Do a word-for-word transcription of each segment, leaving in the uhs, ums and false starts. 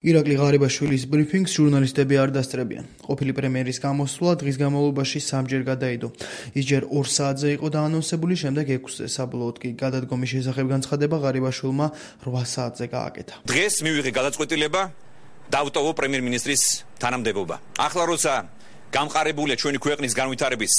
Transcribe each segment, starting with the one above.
ირაკლი ღარიბაშვილის ბრიფინგს ჟურნალისტები არ დასწრებიან. ყოფილი პრემიერის გამოსვლა დღის განმავლობაში სამჯერ გადაიდო. ის ჯერ ორ საათზე იყო დაანონსებული, შემდეგ ექვსზე. საბოლოოდ კი გადადგომის შესახებ განცხადება ღარიბაშვილმა რვა საათზე გააკეთა. დღეს მივიღე გადაწყვეტილება დავტოვო პრემიერ-მინისტრის თანამდებობა. ახლა როცა გამყარებულია ჩვენი ქვეყნის განვითარების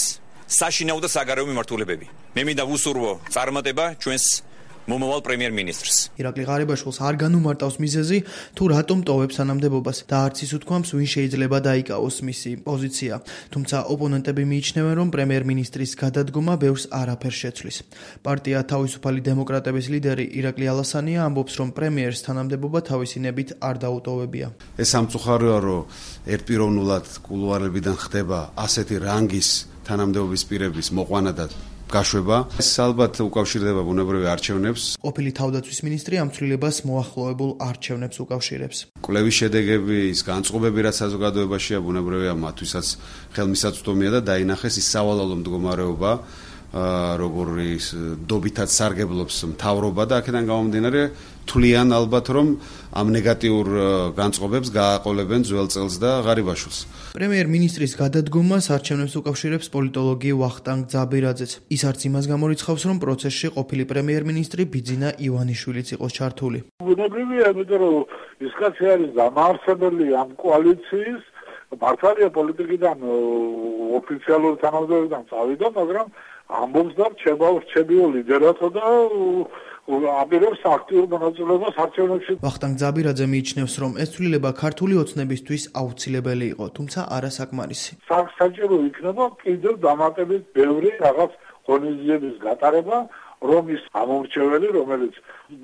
საშინაო და საგარეო მიმართულებები, მე მინდა ვუსურვო წარმატება ჩვენს მომავალ პრემიერ-მინისტრს. ირაკლი ღარიბაშვილს არ განუმარტავს მიზეზი, თუ რატომ ტოვებს თანამდებობას და არც ის უთქვამს, ვინ შეიძლება დაიკავოს მისი პოზიცია. თუმცა ოპონენტები მიიჩნევენ, რომ პრემიერ-მინისტრის გადადგომა ბევრს არაფერს შეცვლის. პარტია თავისუფალი დემოკრატების ლიდერი ირაკლი ალასანია ამბობს, რომ პრემიერს თანამდებობა თავისინებით არ დაუტოვებია. ეს სამწუხაროა, რომ ერთპიროვნულად კულუარებიდან ხდება ასეთი რანგის თანამდებობის პირების მოყვანა და გაშვება. ეს ალბათ უკავშირდება ბუნებრივი არჩევნებს. ყოფილი თავდაცვის მინისტრი ამ ცვლილებას მოახლოებულ არჩევნებს უკავშირებს. კვლევის შედეგები, ის განწყობები, რაც საზოგადოებაშია, ბუნებრივია მათთვისაც ხელმისაწვდომია და დაინახეს ის სავალალო მდგომარეობა, როგორი დობითად სარგებლობს მთავრობა და აქედან გამომდინარე თვლიან ალბათ, რომ ამ ნეგატიურ განწყობებს გააყოლებენ ძველ წელს და ღარიბაშვილს. პრემიერ-მინისტრის გადადგომას არჩევნებს უკავშირებს პოლიტოლოგი ვახტანგ ძაბირაძეც. ის არც იმას გამორიცხავს, რომ პროცესში ყოფილი პრემიერ-მინისტრი ბიძინა ივანიშვილიც იყოს ჩართული. ბუნებრივია, იმიტომ რომ ის კაცი არის დამაარსებელი ამ კოალიციის, მართალია პოლიტიკიდან ოფიციალური თანამდებობიდან წავიდა, მაგრამ ამბობს და რჩებაო ლიდერად და აპირებს აქტიურ მონაწილეობას არჩევნებში. ვახტანგ ძაბირაძე მიიჩნევს, რომ ეს ცვლილება ქართული ოცნებისთვის აუცილებელი იყო, თუმცა არასაკმარისი. საჭირო იქნება კიდევ დამატებით ბევრი რაღაც ღონისძიების გატარება, რომ ის ამორჩეველი, რომელიც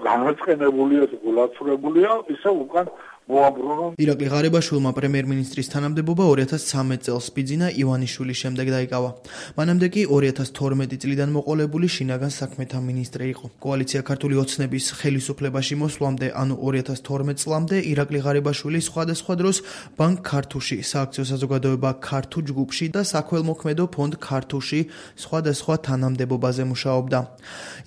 განაწყენებულია და გულაცურებულია, ისე უკან მოაბრუნონ. ირაკლი ღარიბაშვილმა პრემიერ-მინისტრის თანამდებობა ორი ათას ცხრამეტ წელს ბიძინა ივანიშვილის შემდეგ დაიკავა. მანამდე კი ორი ათას თორმეტი წლიდან მოყოლებული შინაგან საქმეთა მინისტრი იყო. კოალიცია ქართული ოცნების ხელისუფლებაში მოსვლამდე, ანუ ორი ათას თორმეტ წლამდე, ირაკლი ღარიბაშვილი სხვადასხვა დროს ბანკ ქართუში, სააქციო საზოგადოება ქართუ ჯგუფში და საქველმოქმედო ფონდ ქართუში სხვადასხვა თანამდებობაზე მუშაობდა.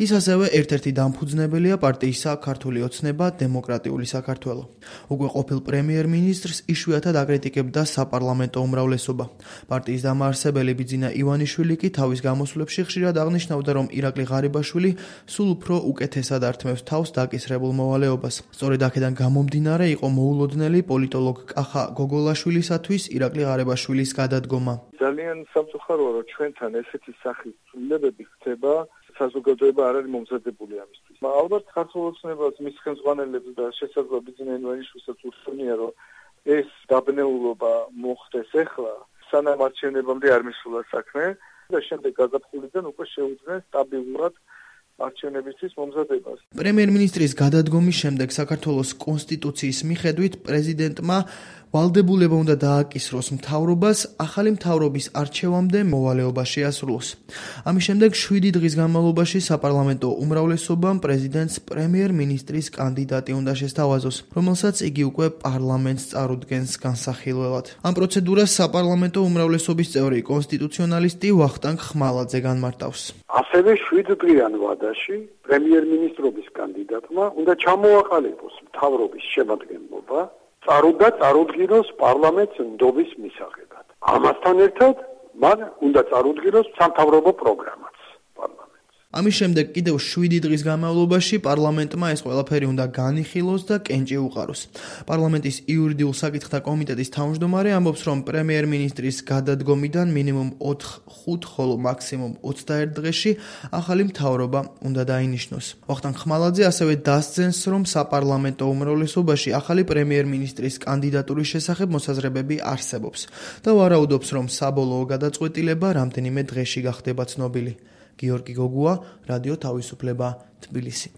ის ასევე ერთ-ერთი დამფუძნებელია პარტიისა ქართული ოცნება დემოკრატიული საქართველო. უკვე ყოფილ პრემიერ-მინისტრს იშვიათად აკრიტიკებდა საპარლამენტო უმრავლესობა. პარტიის დამაარსებელი ბიძინა ივანიშვილი კი თავის გამოსვლებში ხშირად აღნიშნავდა, რომ ირაკლი ღარიბაშვილი სულ უფრო უკეთესად ართმევს თავს დაკისრებულ მოვალეობას. სწორედ აქედან გამომდინარე იყო მოულოდნელი პოლიტოლოგ კახა გოგოლაშვილისათვის ირაკლი ღარიბაშვილის გადადგომა. ძალიან სამწუხაროა, რომ ჩვენთან ესეთი სახის ცვლილებები ხდება, საზოგადოება არ არის მომზადებული ამისთვის. ალბათ ქართულ ოცნებას, მის ხელმძღვანელებს და შესაძლოა ბიძინა ივანიშვილსაც ურჩევნია, რომ ეს დაბნეულობა მოხდეს ახლა, სანამ არჩევნებამდე არ მისულა საქმე და შემდეგ გაზაფხულიდან უკვე შეუძლიათ სტაბილურად არჩევნებისთვის მომზადებას. პრემიერ-მინისტრის გადადგომის შემდეგ საქართველოს კონსტიტუციის მიხედვით პრეზიდენტმა ვალდებულება უნდა დააკისროს მთავრობას ახალი მთავრობის არჩევამდე მოვალეობა შეასრულოს. ამის შემდეგ შვიდი დღის განმავლობაში საპარლამენტო უმრავლესობამ პრეზიდენტს პრემიერ-მინისტრის კანდიდატი უნდა შესთავაზოს, რომელსაც იგი უკვე პარლამენტს წარუდგენს განსახილველად. ამ პროცედურას საპარლამენტო უმრავლესობის წევრი კონსტიტუციონალისტი ვახტანგ ხმალაძე განმარტავს. ასევე შვიდდღიან ვადაში პრემიერ-მინისტრობის კანდიდატმა უნდა ჩამოაყალიბოს მთავრობის შემადგენლობა, წარუდგა წარუდგინოს პარლამენტს ნდობის მისაღებად. ამასთან ერთად მან უნდა წარუდგინოს სამთავრობო პროგრამაც პარლამენტს. ამის შემდეგ კიდევ შვიდი დღის განმავლობაში პარლამენტმა ეს ყველაფერი უნდა განიხილოს და კენჭი უყაროს. პარლამენტის იურიდიულ საკითხთა კომიტეტის თავმჯდომარე ამბობს, რომ პრემიერ-მინისტრის გადადგომიდან მინიმუმ ოთხ ხუთ, ხოლო მაქსიმუმ ოცდაერთ დღეში ახალი მთავრობა უნდა დაინიშნოს. ვახტანგ ხმალაძე ასევე დასძენს, რომ საპარლამენტო უმრავლესობაში ახალი პრემიერ-მინისტრის კანდიდატურის შესახებ მოსაზრებები არსებობს და ვარაუდობს, რომ საბოლოო გადაწყვეტილება რამდენიმე დღეში გახდება ცნობილი. გიორგი გოგუა, რადიო თავისუფლება, თბილისი.